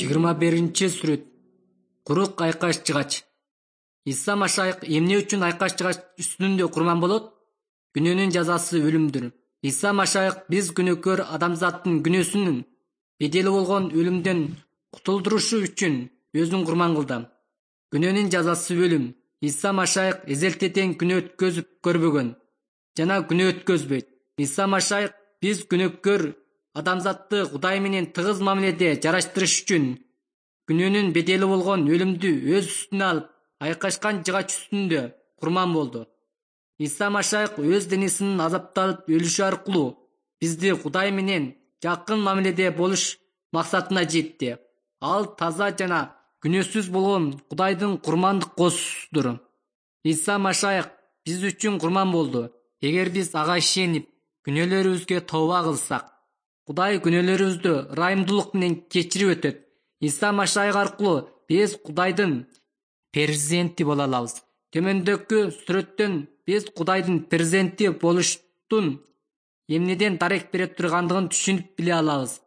21-сүрөт. Курук айкаш жыгач. Иса Машайык эмне үчүн айкаш жыгач үстүндө курман болот? Күнөөнүн жазасы өлүмдүр. Иса Машайык биз күнөөкөр адамзаттын күнөөсүнүн бедели болгон өлүмдөн кутулдурушу үчүн өзүн курман кылды. Күнөөнүн жазасы өлүм. Иса Машайык эзелтеден күнөө өткөзүп көрбөгөн жана күнөө өткөзбөйт. Иса Машайык биз күнөөкөр адамзатты Кудай менен тыгыз мамиледе жараштырыш үчүн күнөөнүн бедели болгон өлүмдү өз үстүнө алып, айкашкан жыгач үстүндө курман болду. Иса Машайык өз денесинин азапталып өлүшү аркылуу бизди Кудай менен жакын мамиледе болуш максатына жетти. Ал таза жана күнөөсүз болгон Кудайдын курмандык коосусуdur. Иса Машайык биз үчүн курман болду. Эгер биз ага ишенип, күнөөлөрүбүзгө тооба кылсак, Кудай күнөөлөрүбүздү ырайымдуулук менен кечирип өтөт. Иса Машайык аркылуу биз Кудайдын перзенти боло алабыз. Төмөндөгү сүрөттөн биз Кудайдын перзенти болуштун эмнеден дарек бере тургандыгын түшүнүп биле алабыз.